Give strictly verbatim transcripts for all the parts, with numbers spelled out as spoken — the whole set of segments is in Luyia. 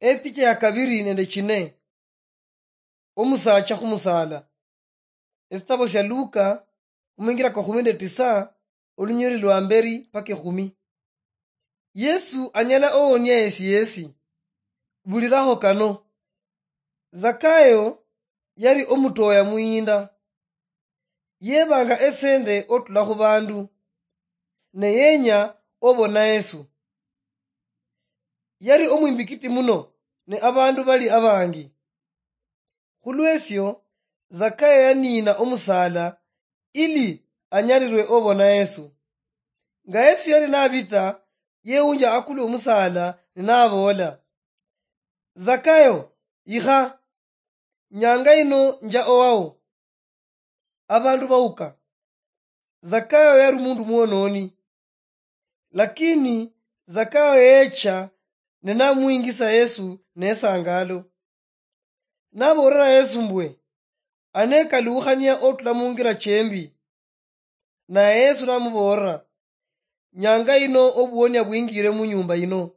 Epicha ya kabiri nende chine. Omusaacha khumusala. Esitabo sia Luka, omwingira kwa kumi nende tisa, olunyoli lwa mberi paka ekhumi. Yesu anyala owonia yesi yesi. Buliraho kano. Zakayo yali omutoya muyinda. Yebanga esende otula khubandu, ne yenya obona Yesu. Yali omwimbikiti muno, ne abandu bali abangi. Khulwesio, Zakayo yaniina omusala ili anyalirwe obona Yesu. Nga Yesu yali nabita, yewunja akulu omusala, ne naboola, "Zakayo, ikha, nyanga ino nja owao." Abandu bauka. Zakayo yali omundu mwononi. Lakini Zakayo yecha ne namwingisa Yesu nesangalo. Naboolera Yesu mbwe, "Anekalukhania otula mungira chembi." Naye Yesu namuboolera, "Nyanga ino obuonia bwingire munyumba ino."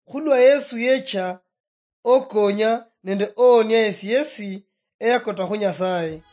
Khulwa Yesu yecha okonya nende oonia yesi yesi eyakota khu Nyasaye.